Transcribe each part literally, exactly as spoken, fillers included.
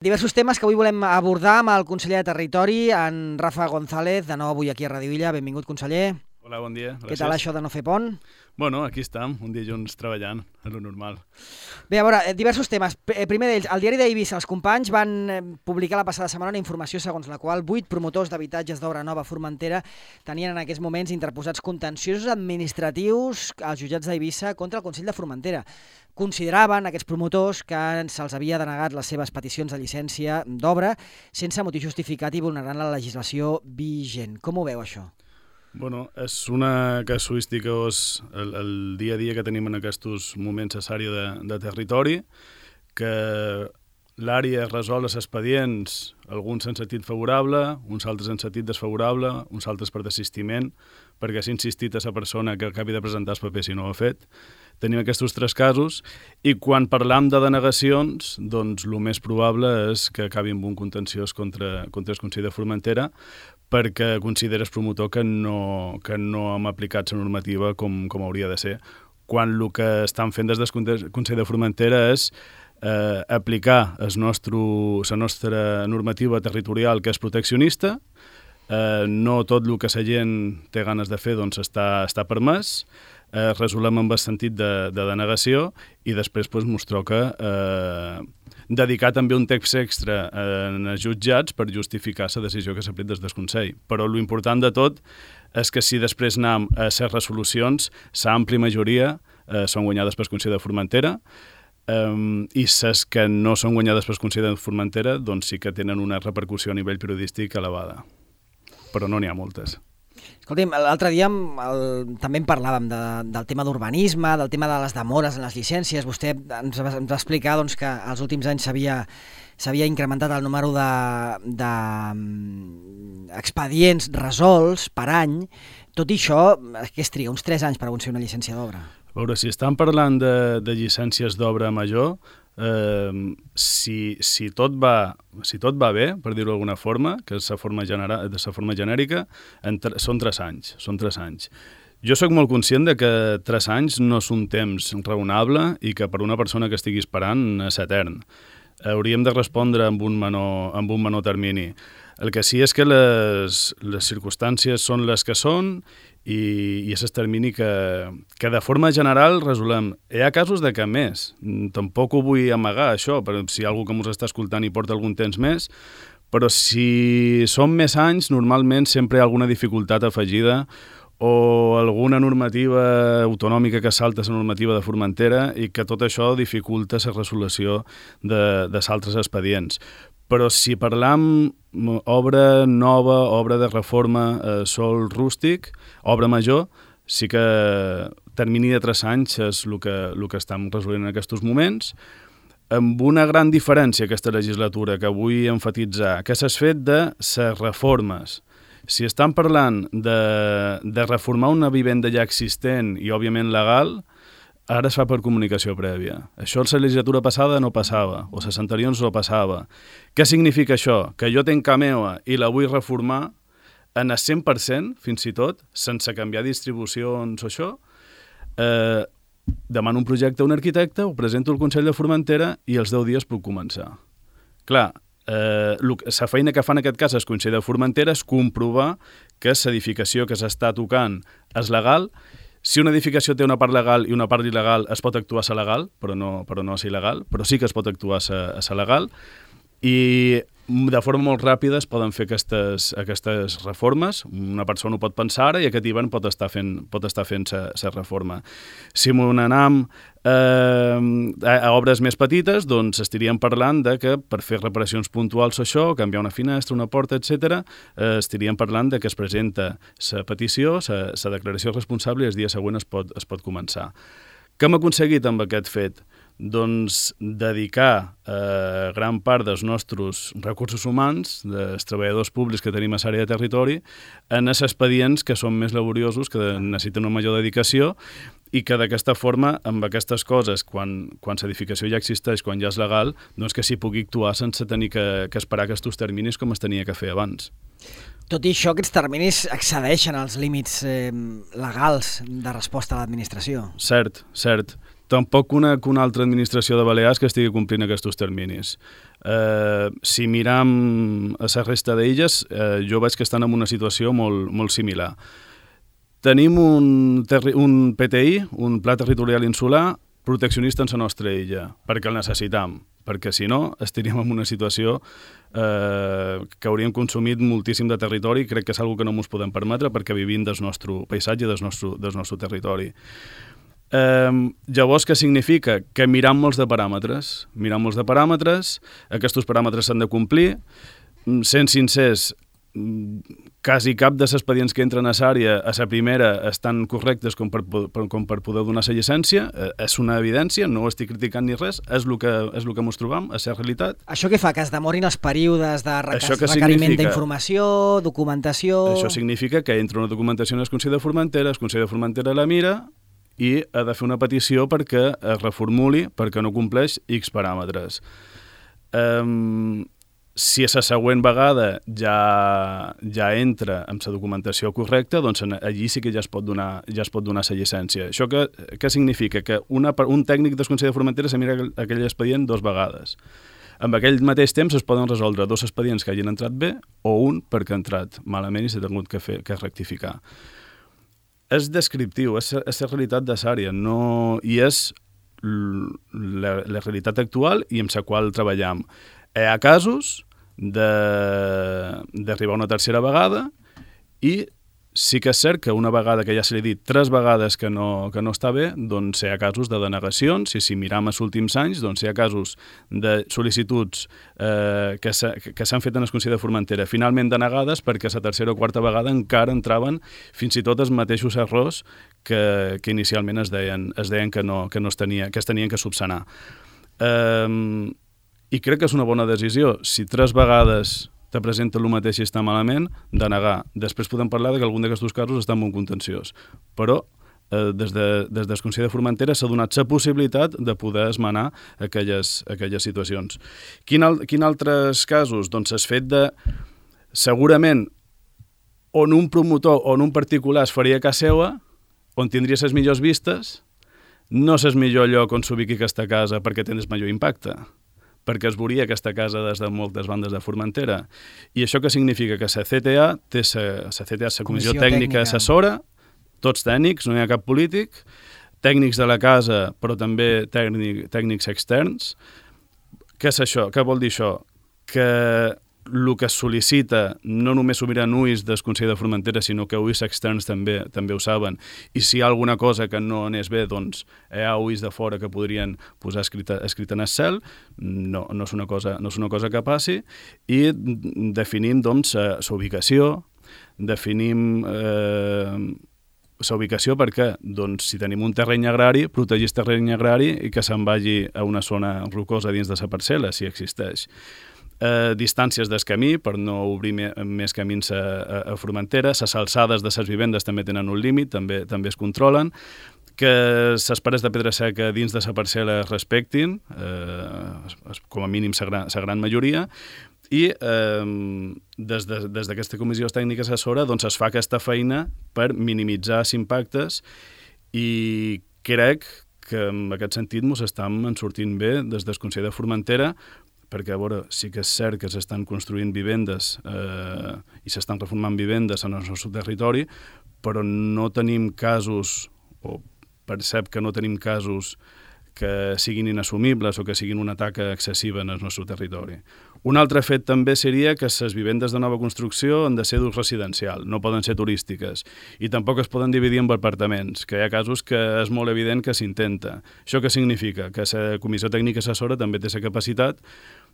Diversos temes que avui volem abordar amb el conseller de Territori, en Rafa González, de nou avui aquí a Radio Illa. Benvingut, conseller. Hola, bon dia. Gràcies. Què tal això de no fer pont? Bueno, aquí estem, un dia junts treballant, és lo normal. Bé, a veure, diversos temes. Primer d'ells, al diari d'Eivissa, els companys van publicar la passada setmana una informació segons la qual vuit promotors d'habitatges d'obra nova a Formentera tenien en aquests moments interposats contenciosos administratius als jutjats d'Eivissa contra el Consell de Formentera. Consideraven aquests promotors que se'ls havia denegat les seves peticions de llicència d'obra sense motiu justificat i vulnerant la legislació vigent. Com ho veu, això? Bueno, és una casuística, és el, el dia a dia que tenim en aquests moments a l'àrea de, de territori, que l'àrea resol els expedients, alguns en sentit favorable, uns altres en sentit desfavorable, uns altres per desistiment, perquè s'ha insistit a la persona que acabi de presentar els papers i no ho ha fet. Tenim aquests tres casos i quan parlam de denegacions, doncs el més probable és que acabi amb un contenciós contra, contra el Consell de Formentera perquè considera el promotor que no, que no hem aplicat la normativa com, com hauria de ser, quan el que estan fent des del Consell de Formentera és eh, aplicar el nostre, la nostra normativa territorial, que és proteccionista. Eh, no tot el que la gent té ganes de fer doncs, està, està permès. Eh, resolem amb el sentit de, de denegació i després pues, mostrar que eh, dedicar també un text extra en els jutjats per justificar la decisió que s'ha pres des del Consell. Però l'important de tot és que si després anem a les resolucions, l'àmplia majoria eh, són guanyades pel Consell de Formentera eh, i les que no són guanyades pel Consell de Formentera doncs sí que tenen una repercussió a nivell periodístic elevada. Però no n'hi ha moltes. Escolti'm, l'altre dia el, també en parlàvem de, del tema d'urbanisme, del tema de les demores en les llicències. Vostè ens va, ens va explicar doncs, que als últims anys s'havia s'havia incrementat el número de, de expedients resolts per any. Tot i això, què es triga? Uns tres anys per aconseguir una llicència d'obra. A veure, si estan parlant de, de llicències d'obra major, eh, si, si, tot va, si tot va bé, per dir-ho d'alguna forma, que és la forma, genera, de la forma genèrica, entre, són tres anys. Són tres anys. Jo sóc molt conscient de que tres anys no és un temps raonable i que per una persona que estigui esperant és etern. Hauríem de respondre amb un menor, amb un menor termini. El que sí és que les, les circumstàncies són les que són i, i és el termini que, que de forma general resolem. Hi ha casos de que més. Tampoc ho vull amagar, això, però si hi ha algú que ens està escoltant i porta algun temps més, però si són més anys, normalment sempre hi ha alguna dificultat afegida o alguna normativa autonòmica que salta la normativa de Formentera i que tot això dificulta la resolució de, de altres expedients. Però si parlam obra nova, obra de reforma, eh, sol rústic, obra major, sí que termini de tres anys és el que, el que estem resolent en aquests moments, amb una gran diferència aquesta legislatura que vull enfatitzar, que s'ha fet de les reformes. Si estan parlant de, de reformar una vivenda ja existent i, òbviament, legal, ara es fa per comunicació prèvia. Això a la legislatura passada no passava, o les anteriors no passava. Què significa això? Que jo tenc casa meva i la vull reformar en el cent per cent, fins i tot, sense canviar distribucions o això, eh, demano un projecte a un arquitecte, ho presento al Consell de Formentera i els deu dies puc començar. Clar, Eh, la feina que fa en aquest cas el Consell de Formentera és comprovar que l'edificació que s'està tocant és legal. Si una edificació té una part legal i una part il·legal, es pot actuar a la legal, però no, però no a la il·legal, però sí que es pot actuar a la legal. I de forma molt ràpida es poden fer aquestes, aquestes reformes. Una persona ho pot pensar ara i aquest hivern pot estar fent, pot estar fent la reforma. Si m'ho anem eh, a, a obres més petites, doncs estaríem parlant de que per fer reparacions puntuals o això, canviar una finestra, una porta, etcètera, eh, estaríem parlant de que es presenta la petició, la declaració responsable i el dia següent es pot, es pot començar. Què hem aconseguit amb aquest fet? Doncs dedicar eh, gran part dels nostres recursos humans, dels treballadors públics que tenim a l'àrea de territori, en els expedients que són més laboriosos, que necessiten una major dedicació i que d'aquesta forma, amb aquestes coses, quan, quan l'edificació ja existeix, quan ja és legal, doncs que s'hi pugui actuar sense tenir que, que esperar aquests terminis com es tenia que fer abans. Tot i això, aquests terminis excedeixen els límits eh, legals de resposta a l'administració. Cert, cert. tampoc conec una altra administració de Balears que estigui complint aquests terminis. Eh, si miram a la resta d'illes, eh, jo veig que estan en una situació molt, molt similar. Tenim un, un P T I, un Pla Territorial Insular, proteccionista en la nostra illa, perquè el necessitam, perquè si no estaríem en una situació eh, que hauríem consumit moltíssim de territori, crec que és una cosa que no ens podem permetre perquè vivim del nostre paisatge, del nostre, del nostre territori. Eh, llavors, què significa? Que miram molts de paràmetres, miram molts de paràmetres, aquests paràmetres s'han de complir, sent sincers, quasi cap dels expedients que entren a l'àrea a la primera estan correctes com per, per, com per poder donar la llicència, eh, és una evidència, no ho estic criticant ni res, és el que, és el que ens trobam, és la realitat. Això què fa? Que es demorin els períodes de requeriment d'informació, documentació... Això significa que entra una documentació en el Consell de Formentera, el Consell de Formentera la mira i ha de fer una petició perquè es reformuli, perquè no compleix X paràmetres. Um, Si a la següent vegada ja, ja entra amb la documentació correcta, doncs allí sí que ja es pot donar, ja es pot donar la llicència. Això què, què significa? Que una, un tècnic del Consell de Formentera se mira aquell expedient dues vegades. Amb aquell mateix temps es poden resoldre dos expedients que hagin entrat bé o un perquè ha entrat malament i s'ha tingut que, fer, que rectificar. És descriptiu, és, és la realitat de l'àrea, no, i és la, la realitat actual i amb la qual treballem. Hi ha casos d'arribar una tercera vegada i sí que és cert que una vegada que ja se li ha dit tres vegades que no, que no està bé, doncs hi ha casos de denegacions, i si miram els últims anys, doncs hi ha casos de sol·licituds eh, que s'han fet en el Consell de Formentera, finalment denegades perquè la tercera o quarta vegada encara entraven fins i tot els mateixos errors que, que inicialment es deien, es deien que, no, que, no es tenia, que es tenien que subsanar. Eh, I crec que és una bona decisió. Si tres vegades te presenta el mateix i està malament, denegar. Després podem parlar de que algun d'aquests casos està molt contenciós. Però eh, des, de, des del Consell de Formentera s'ha donat la possibilitat de poder esmenar aquelles, aquelles situacions. Quin, al, quin altres casos? Doncs el fet de, segurament, on un promotor o on un particular es faria casa seva, on tindria les millors vistes, no és el millor lloc on s'ubiqui aquesta casa perquè tens major impacte, perquè es veuria aquesta casa des de moltes bandes de Formentera. I això què significa? Que la C T A té la C T A, la Comissió Tècnica Assessora, tots tècnics, no hi ha cap polític, tècnics de la casa, però també tècnic, tècnics externs. Què és això? Què vol dir això? Que el que es sol·licita no només s'ho miren ulls del Consell de Formentera, sinó que ulls externs també també ho saben. I si hi ha alguna cosa que no anés bé, doncs hi ha ulls de fora que podrien posar escrita, escrita en el cel. No, no, és una cosa, no és una cosa que passi. I definim, doncs, la ubicació, definim eh, la ubicació perquè, doncs, si tenim un terreny agrari, protegir el terreny agrari i que se'n vagi a una zona rocosa dins de la parcel·la, si existeix. Eh, distàncies del camí per no obrir me, més camins a, a, a Formentera, les alçades de les vivendes també tenen un límit, també també es controlen, que les pares de pedra seca dins de la parcel·la es respectin, eh, com a mínim la gran, gran majoria, i eh, des d'aquesta de, comissió tècnica assessora doncs es fa aquesta feina per minimitzar els impactes i crec que en aquest sentit ens estem en sortint bé des del Consell de Formentera, perquè, a veure, sí que és cert que s'estan construint vivendes eh, i s'estan reformant vivendes en el nostre territori, però no tenim casos, o percep que no tenim casos que siguin inassumibles o que siguin una taca excessiva en el nostre territori. Un altre fet també seria que les vivendes de nova construcció han de ser d'ús residencial, no poden ser turístiques, i tampoc es poden dividir en apartaments, que hi ha casos que és molt evident que s'intenta. Això què significa? Que la Comissió Tècnica Assessora també té la capacitat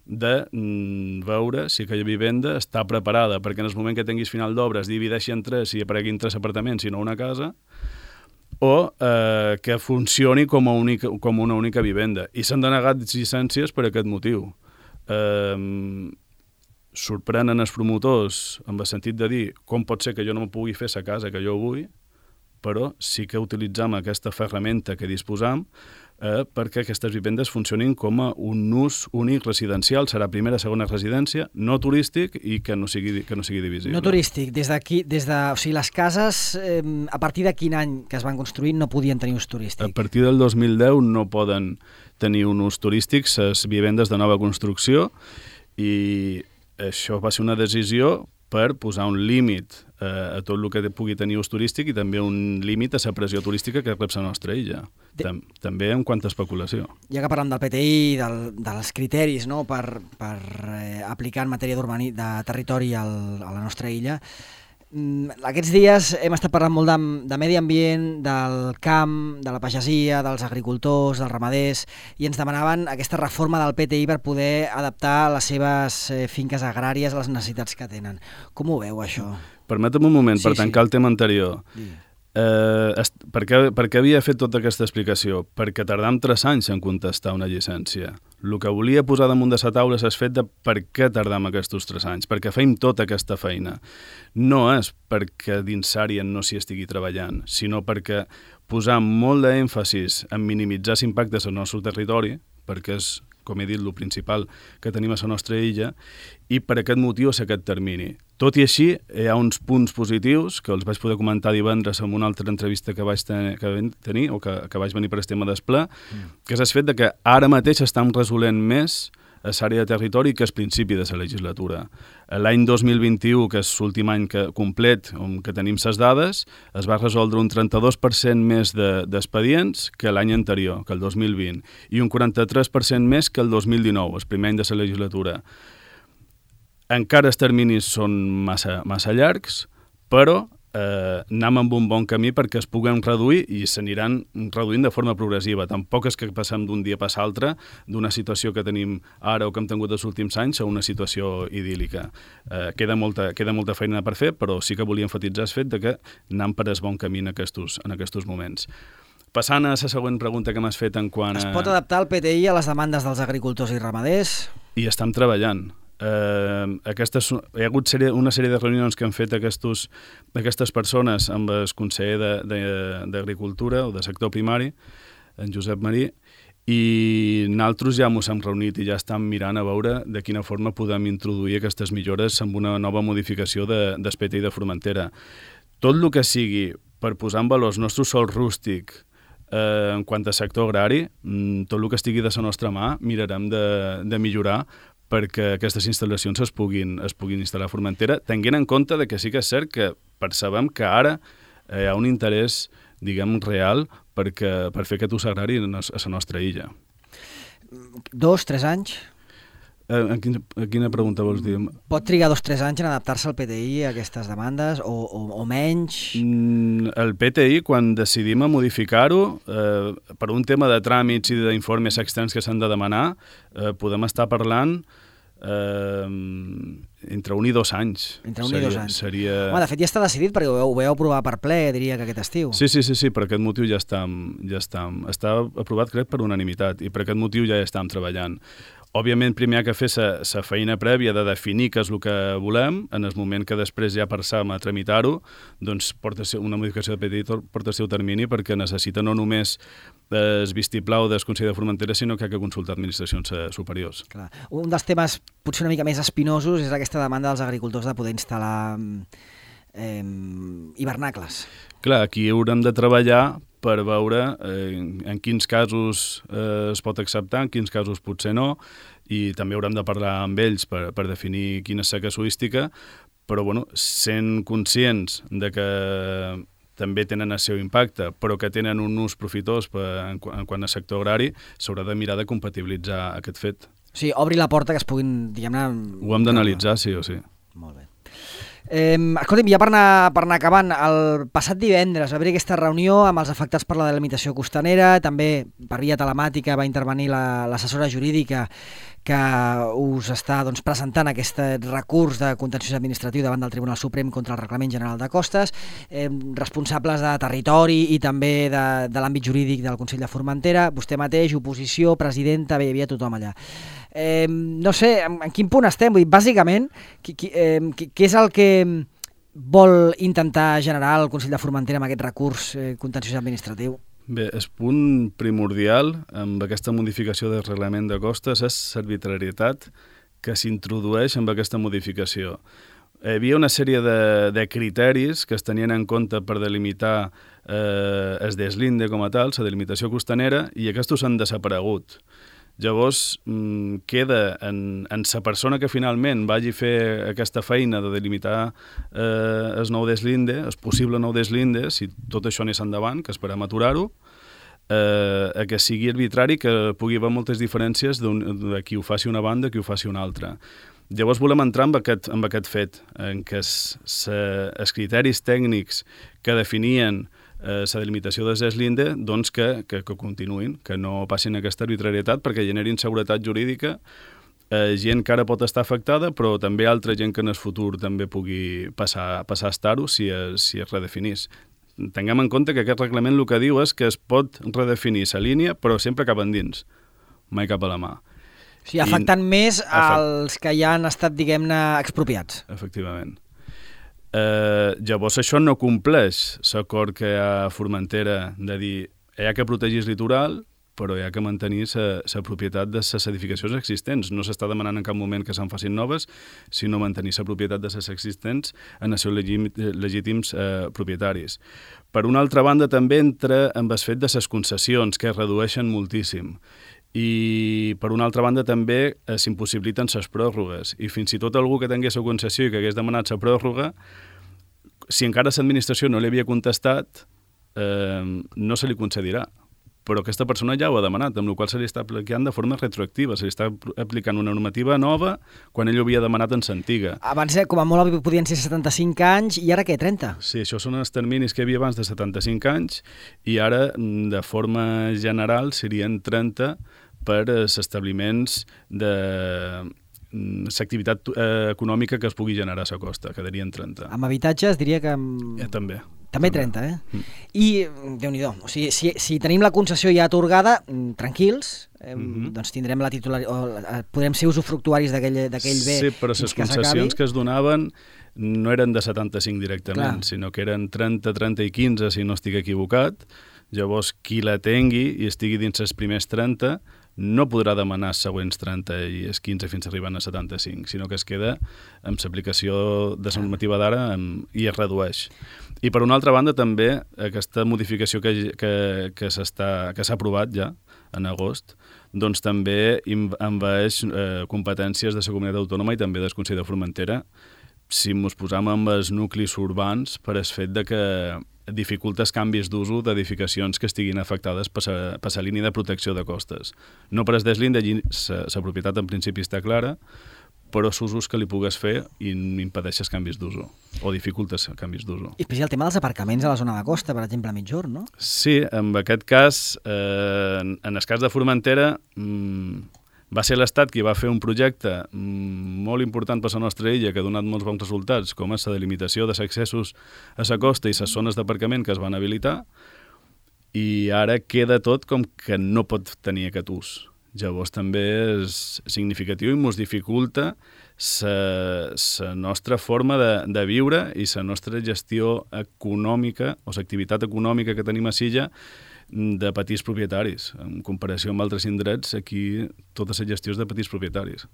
de mm, veure si aquella vivenda està preparada perquè en el moment que tinguis final d'obra es divideixi en tres i apareguin tres apartaments i no una casa, o eh, que funcioni com, a única, com una única vivenda. I s'han denegat llicències per aquest motiu. Eh, sorprenen els promotors en el sentit de dir com pot ser que jo no me pugui fer la casa que jo vull, però sí que utilitzem aquesta ferramenta que disposam eh, perquè aquestes vivendes funcionin com a un ús únic residencial. Serà primera, segona residència, no turístic i que no sigui, que no sigui divisible. No turístic. Des d'aquí, des de, o sigui, les cases, eh, a partir de quin any que es van construir no podien tenir ús turístic? A partir del dos mil deu no poden tenir un ús turístic les vivendes de nova construcció i això va ser una decisió per posar un límit eh, a tot el que pugui tenir ús turístic i també un límit a la pressió turística que rep la nostra illa. De... Tam també en quant a especulació. Ja que parlem del P T I, del, dels criteris no, per, per eh, aplicar en matèria de territori al, a la nostra illa, aquests dies hem estat parlant molt de, de medi ambient, del camp, de la pagesia, dels agricultors, dels ramaders, i ens demanaven aquesta reforma del P T I per poder adaptar les seves eh, finques agràries a les necessitats que tenen. Com ho veu, això? Permetem un moment, sí, per tancar sí. el tema anterior. Sí. Eh, per, què, per què havia fet tota aquesta explicació? Perquè tardam tres anys en contestar una llicència. El que volia posar damunt de la taula és el fet de per què tardam aquests tres anys, perquè feim tota aquesta feina. No és perquè dins Sàrien no s'hi estigui treballant, sinó perquè posar molt d'èmfasis en minimitzar l'impacte al nostre territori, perquè és, com he dit, el principal que tenim a la nostra illa, i per aquest motiu és aquest termini. Tot i així, hi ha uns punts positius que els vaig poder comentar divendres en una altra entrevista que vaig tenir, que vaig tenir o que, que vaig venir per el tema d'Esplà, mm. que és el fet de que ara mateix estem resolent més a l'àrea de territori que és principi de la legislatura. L'any dos mil vint-i-u, que és l'últim any que, complet on que tenim les dades, es va resoldre un trenta-dos per cent més d'expedients de, que l'any anterior, que el dos mil vint, i un quaranta-tres per cent més que el dos mil dinou, el primer any de la legislatura. Encara els terminis són massa, massa llargs, però eh, anem amb un bon camí perquè es puguen reduir i s'aniran reduint de forma progressiva. Tampoc és que passem d'un dia a l'altre d'una situació que tenim ara o que hem tingut els últims anys a una situació idíl·lica. Eh, queda, molta, queda molta feina per fer, però sí que volia enfatitzar el fet de que anem per el bon camí en aquests, en aquests moments. Passant a la següent pregunta que m'has fet en quant a... Es pot adaptar el P T I a les demandes dels agricultors i ramaders? I estem treballant. Uh, aquestes, hi ha hagut sèrie, una sèrie de reunions que han fet aquestos, aquestes persones amb el conseller d'Agricultura o de sector primari, en Josep Marí, i nosaltres ja ens hem reunit i ja estem mirant a veure de quina forma podem introduir aquestes millores amb una nova modificació de, del P T I de Formentera. Tot el que sigui per posar en valor el nostre sòl rústic eh, en quant a sector agrari, tot el que estigui de la nostra mà mirarem de, de millorar perquè aquestes instal·lacions es puguin, es puguin instal·lar a Formentera, tenint en compte de que sí que és cert que percebem que ara hi ha un interès, diguem, real perquè, per fer aquest ús agrari a la nostra illa. Dos, tres anys? Eh, a, quina, a quina pregunta vols dir? Pot trigar dos, tres anys en adaptar-se al P T I a aquestes demandes o, o, o menys? Mm, el P T I, quan decidim a modificar-ho, eh, per un tema de tràmits i d'informes externs que s'han de demanar, eh, podem estar parlant eh, entre un i dos anys. Entre un seria, i dos anys. Seria... Home, de fet ja està decidit perquè ho, ho veu aprovar per ple, diria que aquest estiu. Sí, sí, sí, sí, per aquest motiu ja està, ja està, està aprovat, crec, per unanimitat, i per aquest motiu ja estem treballant. Òbviament, primer hi ha que fer la feina prèvia de definir què és el que volem. En el moment que després ja passam a tramitar-ho, doncs porta una modificació de P T I porta el seu termini perquè necessita no només el vistiplau del Consell de Formentera, sinó que ha de consultar administracions superiors. Clar. Un dels temes potser una mica més espinosos és aquesta demanda dels agricultors de poder instal·lar eh, hivernacles. Clar, aquí haurem de treballar per veure eh, en quins casos eh, es pot acceptar, en quins casos potser no, i també haurem de parlar amb ells per, per definir quina és la casuística, però bueno, sent conscients de que també tenen el seu impacte, però que tenen un ús profitós per, en, en quant a sector agrari, s'haurà de mirar de compatibilitzar aquest fet. O sigui, obri la porta que es puguin, diguem-ne... Ho hem d'analitzar, sí o sí. Molt bé. Eh, escolta'm, ja per anar, per anar acabant, el passat divendres va haver aquesta reunió amb els afectats per la delimitació costanera, també per via telemàtica va intervenir l'assessora la, jurídica que us està doncs, presentant aquest recurs de contenciós administratiu davant del Tribunal Suprem contra el Reglament General de Costes, eh, responsables de territori i també de, de l'àmbit jurídic del Consell de Formentera, vostè mateix, oposició, presidenta, bé, hi havia tothom allà. Eh, no sé, en, en quin punt estem? Vull dir, bàsicament, qui, qui, eh, qui, què és el que vol intentar generar el Consell de Formentera amb aquest recurs eh, contenciós administratiu? Bé, el punt primordial amb aquesta modificació del reglament de costes és l'arbitrarietat que s'introdueix amb aquesta modificació. Hi havia una sèrie de, de criteris que es tenien en compte per delimitar eh, el deslinde com a tal, la delimitació costanera, i aquests han desaparegut. Llavors, mmm, queda en, en la persona que finalment vagi a fer aquesta feina de delimitar eh, el nou deslinde, el possible nou deslinde, si tot això anés endavant, que esperem aturar-ho, eh, que sigui arbitrari, que pugui haver moltes diferències de qui ho faci una banda i qui ho faci una altra. Llavors volem entrar amb aquest, amb aquest fet, en què els criteris tècnics que definien la eh, delimitació de deslinde, doncs que, que, que continuïn, que no passin aquesta arbitrarietat perquè generin seguretat jurídica, eh, gent que ara pot estar afectada, però també altra gent que en el futur també pugui passar, passar a estar-ho si, es, si es redefinís. Tinguem en compte que aquest reglament el que diu és que es pot redefinir la línia, però sempre cap endins, mai cap a la mà. O sigui, afectant I, més afect... als que ja han estat, diguem-ne, expropiats. Efectivament. Eh, llavors això no compleix l'acord que hi ha a Formentera de dir hi ha que protegir el litoral, però hi ha que mantenir la propietat de les edificacions existents. No s'està demanant en cap moment que se'n facin noves, sinó mantenir la propietat de les existents en els seus legítims eh, propietaris. Per una altra banda, també entra amb el fet de les concessions, que es redueixen moltíssim. I, per una altra banda, també eh, s'impossibiliten les pròrrogues. I fins i tot algú que tingués la concessió i que hagués demanat la pròrroga, si encara l'administració no li havia contestat, eh, no se li concedirà. Però aquesta persona ja ho ha demanat, amb la qual se li està aplicant de forma retroactiva, se li està aplicant una normativa nova quan ell ho havia demanat en l'antiga. Abans, com a molt, podien ser setanta-cinc anys, i ara què, trenta? Sí, això són els terminis que hi havia abans de setanta-cinc anys, i ara, de forma general, serien trenta per als establiments de l'activitat eh, econòmica que es pugui generar a la costa, quedarien trenta. Amb habitatges diria que... Eh, també. També trenta, eh? Mm. I, Déu-n'hi-do, o sigui, si, si tenim la concessió ja atorgada, tranquils, eh, mm-hmm. doncs tindrem la titularitat, podrem ser usufructuaris d'aquell bé. Sí, però les concessions que es donaven no eren de setanta-cinc directament, Clar. sinó que eren trenta, trenta i quinze, si no estic equivocat. Llavors, qui la tingui i estigui dins els primers trenta, no podrà demanar els següents trenta i els quinze fins arribant a setanta-cinc, sinó que es queda amb l'aplicació de la normativa d'ara i es redueix. I per una altra banda també aquesta modificació que, que, que s'ha aprovat ja en agost, doncs també envaeix eh, competències de la comunitat autònoma i també del Consell de Formentera si ens posam amb els nuclis urbans per el fet de que dificulta els canvis d'uso d'edificacions que estiguin afectades per la línia de protecció de costes. No per el deslinde, allí la propietat en principi està clara, però els usos que li pugues fer i impedeix els canvis d'uso, o dificultes els canvis d'uso. I especial el tema dels aparcaments a la zona de costa, per exemple, a Migjorn, no? Sí, en aquest cas, eh, en el cas de Formentera, mmm, va ser l'Estat qui va fer un projecte molt important per la nostra illa, que ha donat molts bons resultats, com és la delimitació dels accessos a la costa i les zones d'aparcament que es van habilitar, i ara queda tot com que no pot tenir aquest ús. Llavors també és significatiu i ens dificulta la nostra forma de, de viure i la nostra gestió econòmica o l'activitat econòmica que tenim a Silla de petits propietaris. En comparació amb altres indrets, aquí tota la gestió és de petits propietaris.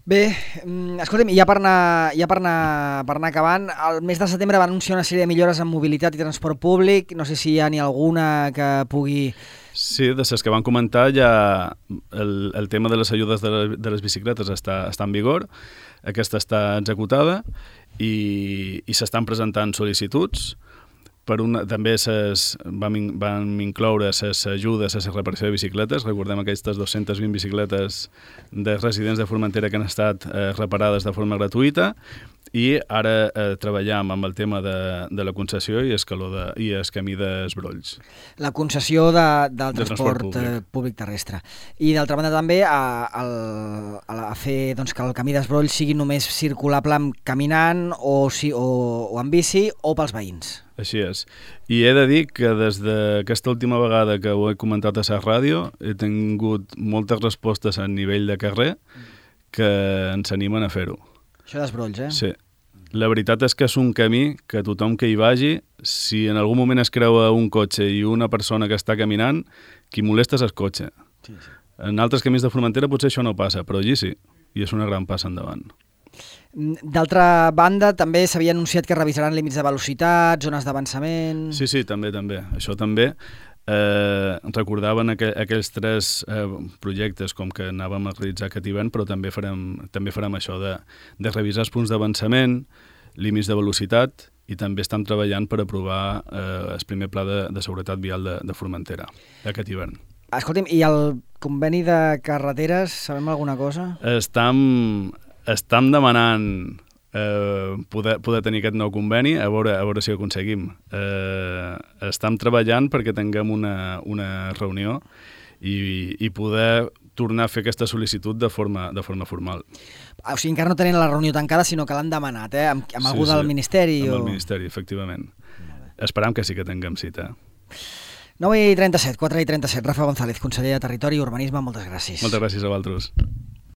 Bé, escolta'm, ja per anar, ja per anar, per anar acabant, el mes de setembre va anunciar una sèrie de millores en mobilitat i transport públic, no sé si hi ha ni alguna que pugui... Sí, de les que van comentar ja el, el tema de les ajudes de, la, de les bicicletes està, està en vigor, aquesta està executada i, i s'estan presentant sol·licituds. Per una, també ses, vam, vam incloure les ajudes a la reparació de bicicletes. Recordem aquestes dues-centes vint bicicletes de residents de Formentera que han estat eh, reparades de forma gratuïta i ara eh, treballem amb el tema de, de la concessió i, escaló de, i el camí d'Esbrolls. La concessió de, del de transport, transport públic. públic terrestre. I d'altra banda també a, a, a fer doncs, que el camí d'Esbrolls sigui només circulable caminant o, si, o, o amb bici o pels veïns. Així és. I he de dir que des d'aquesta última vegada que ho he comentat a la ràdio he tingut moltes respostes a nivell de carrer que ens animen a fer-ho. Això d'Esbrolls, eh? Sí. La veritat és que és un camí que tothom que hi vagi, si en algun moment es creua un cotxe i una persona que està caminant, qui molesta és el cotxe. Sí, sí. En altres camins de Formentera potser això no passa, però allí sí, i és una gran passa endavant. D'altra banda, també s'havia anunciat que revisaran límits de velocitat, zones d'avançament... Sí, sí, també, també. Això també. Eh, recordaven aqu aquells tres eh, projectes com que anàvem a realitzar aquest hivern, però també farem, també farem això de, de revisar els punts d'avançament, límits de velocitat, i també estem treballant per aprovar eh, el primer pla de, de seguretat vial de, de Formentera aquest hivern. Escolti'm, i el conveni de carreteres, sabem alguna cosa? Estam, estam demanant eh, poder, poder tenir aquest nou conveni, a veure, a veure si ho aconseguim. Eh, estem treballant perquè tinguem una, una reunió i, i poder tornar a fer aquesta sol·licitud de forma, de forma formal. O sigui, encara no tenen la reunió tancada, sinó que l'han demanat, eh? Amb, amb sí, algú del sí, Ministeri? Amb o... el Ministeri, efectivament. Esperam que sí que tinguem cita. nou i trenta-set, quatre i trenta-set. Rafa González, conseller de Territori i Urbanisme, moltes gràcies. Moltes gràcies a vosaltres.